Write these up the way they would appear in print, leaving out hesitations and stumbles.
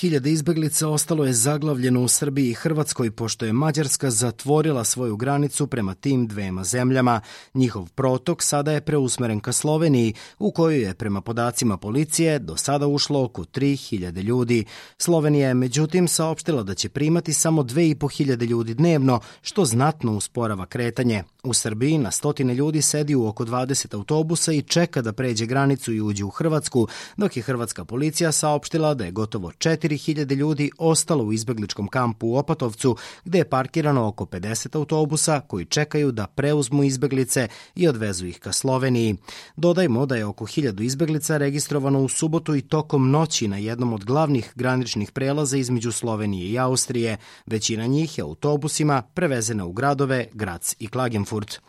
Hiljade izbeglica ostalo je zaglavljeno u Srbiji i Hrvatskoj pošto je Mađarska zatvorila svoju granicu prema tim dvema zemljama. Njihov protok sada je preusmeren ka Sloveniji, u koju je prema podacima policije do sada ušlo oko 3.000 ljudi. Slovenija je međutim saopštila da će primati samo 2.500 ljudi dnevno, što znatno usporava kretanje. U Srbiji na stotine ljudi sedi u oko 20 autobusa i čeka da pređe granicu i uđe u Hrvatsku, dok je hrvatska policija saopštila da je gotovo 4.000 ljudi ostalo u izbegličkom kampu u Opatovcu, gde je parkirano oko 50 autobusa koji čekaju da preuzmu izbeglice i odvezu ih ka Sloveniji. Dodajmo da je oko 1000 izbeglica registrovano u subotu i tokom noći na jednom od glavnih graničnih prelaza između Slovenije i Austrije. Većina njih je autobusima prevezena u gradove Graz i Klagenfurt.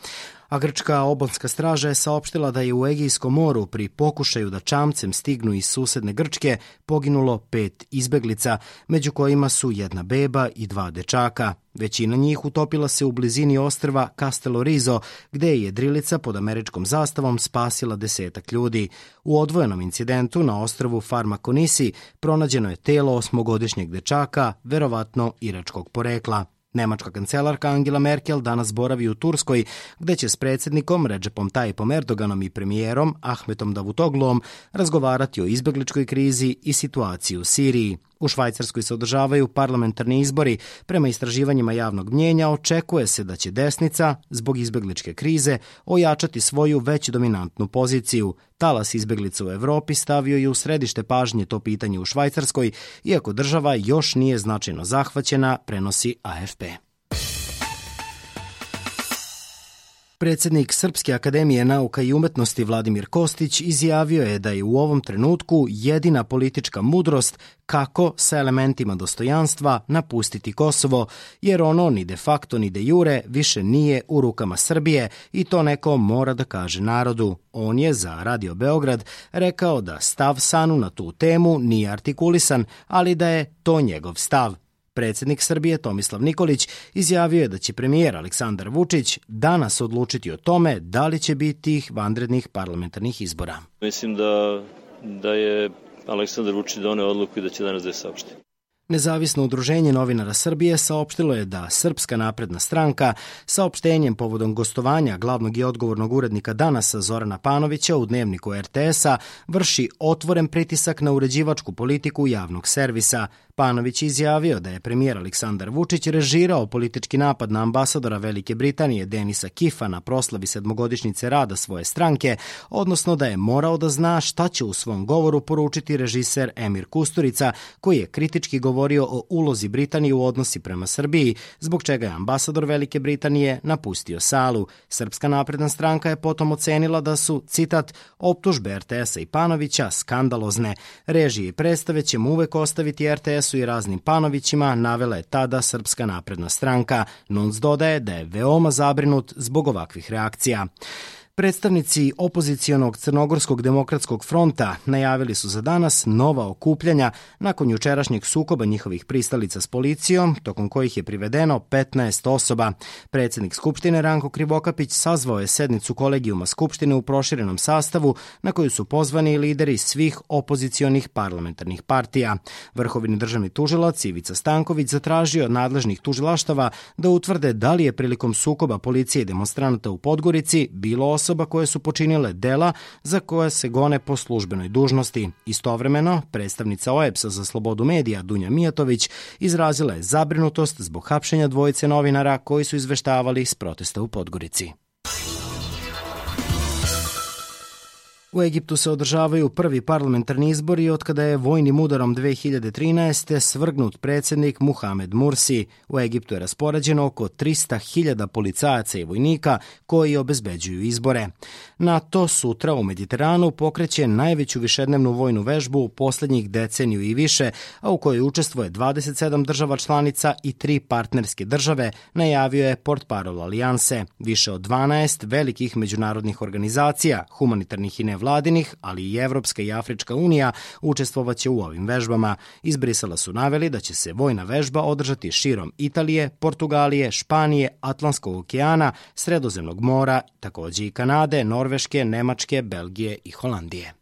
A grčka obalska straža je saopštila da je u Egejskom moru pri pokušaju da čamcem stignu iz susedne Grčke poginulo 5 izbeglica, među kojima su 1 beba i 2 dečaka. Većina njih utopila se u blizini ostrva Castello Rizzo, gde je jedrilica pod američkom zastavom spasila 10 ljudi. U odvojenom incidentu na ostrvu Farmakonisi pronađeno je telo 8-godišnjeg dečaka, verovatno iračkog porekla. Nemačka kancelarka Angela Merkel danas boravi u Turskoj, gde će s predsjednikom Recepom Tayyipom Erdoganom i premijerom Ahmetom Davutogluom razgovarati o izbegličkoj krizi i situaciji u Siriji. U Švajcarskoj se održavaju parlamentarni izbori. Prema istraživanjima javnog mnjenja očekuje se da će desnica, zbog izbegličke krize, ojačati svoju već dominantnu poziciju. Talas izbeglica u Evropi stavio je u središte pažnje to pitanje u Švajcarskoj, iako država još nije značajno zahvaćena, prenosi AFP. Predsjednik Srpske akademije nauka i umetnosti Vladimir Kostić izjavio je da je u ovom trenutku jedina politička mudrost kako sa elementima dostojanstva napustiti Kosovo, jer ono ni de facto ni de jure više nije u rukama Srbije i to neko mora da kaže narodu. On je za Radio Beograd rekao da stav SANU na tu temu nije artikulisan, ali da je to njegov stav. Predsjednik Srbije Tomislav Nikolić izjavio je da će premijer Aleksandar Vučić danas odlučiti o tome da li će biti tih vanrednih parlamentarnih izbora. Mislim da je Aleksandar Vučić doneo odluku i da će danas da je saopšti. Nezavisno udruženje novinara Srbije saopštilo je da Srpska napredna stranka saopštenjem povodom gostovanja glavnog i odgovornog urednika Danasa Zorana Panovića u dnevniku RTS-a vrši otvoren pritisak na uređivačku politiku javnog servisa. Panović je izjavio da je premijer Aleksandar Vučić režirao politički napad na ambasadora Velike Britanije Denisa Kifa na proslavi 7-godišnjice rada svoje stranke, odnosno da je morao da zna šta će u svom govoru poručiti režiser Emir Kusturica, koji je kritički govorio o ulozi Britanije u odnosi prema Srbiji, zbog čega je ambasador Velike Britanije napustio salu. Srpska napredna stranka je potom ocenila da su, citat, optužbe RTS-a i Panovića skandalozne. Režije i predstave ćemo uvek ostaviti RTS-u i raznim Panovićima, navela je tada Srpska napredna stranka. NUNS dodaje da je veoma zabrinut zbog ovakvih reakcija. Predstavnici opozicionog Crnogorskog demokratskog fronta najavili su za danas nova okupljanja nakon jučerašnjeg sukoba njihovih pristalica s policijom, tokom kojih je privedeno 15 osoba. Predsjednik Skupštine Ranko Krivokapić sazvao je sednicu kolegijuma Skupštine u proširenom sastavu na koju su pozvani lideri svih opozicionih parlamentarnih partija. Vrhovni državni tužilac Ivica Stanković zatražio od nadležnih tužilaštava da utvrde da li je prilikom sukoba policije i demonstranata u Podgorici bilo osoba koje su počinile dela za koje se gone po službenoj dužnosti. Istovremeno, predstavnica OEBS-a za slobodu medija Dunja Mijatović izrazila je zabrinutost zbog hapšenja dvojice novinara koji su izveštavali s protesta u Podgorici. U Egiptu se održavaju prvi parlamentarni izbori otkada je vojnim udarom 2013. svrgnut predsjednik Muhamed Mursi. U Egiptu je raspoređeno oko 300.000 policajaca i vojnika koji obezbeđuju izbore. NATO sutra u Mediteranu pokreće najveću višednevnu vojnu vežbu u posljednjih deceniju i više, a u kojoj učestvuje 27 država članica i 3 partnerske države, najavio je portparol alijanse. Više od 12 velikih međunarodnih organizacija, humanitarnih i nevladinih, ali i Evropska i Afrička unija učestvovaće u ovim vežbama. Iz Brisela su naveli da će se vojna vežba održati širom Italije, Portugalije, Španije, Atlantskog okeana, Sredozemnog mora, takođe i Kanade, Norveške, Nemačke, Belgije i Holandije.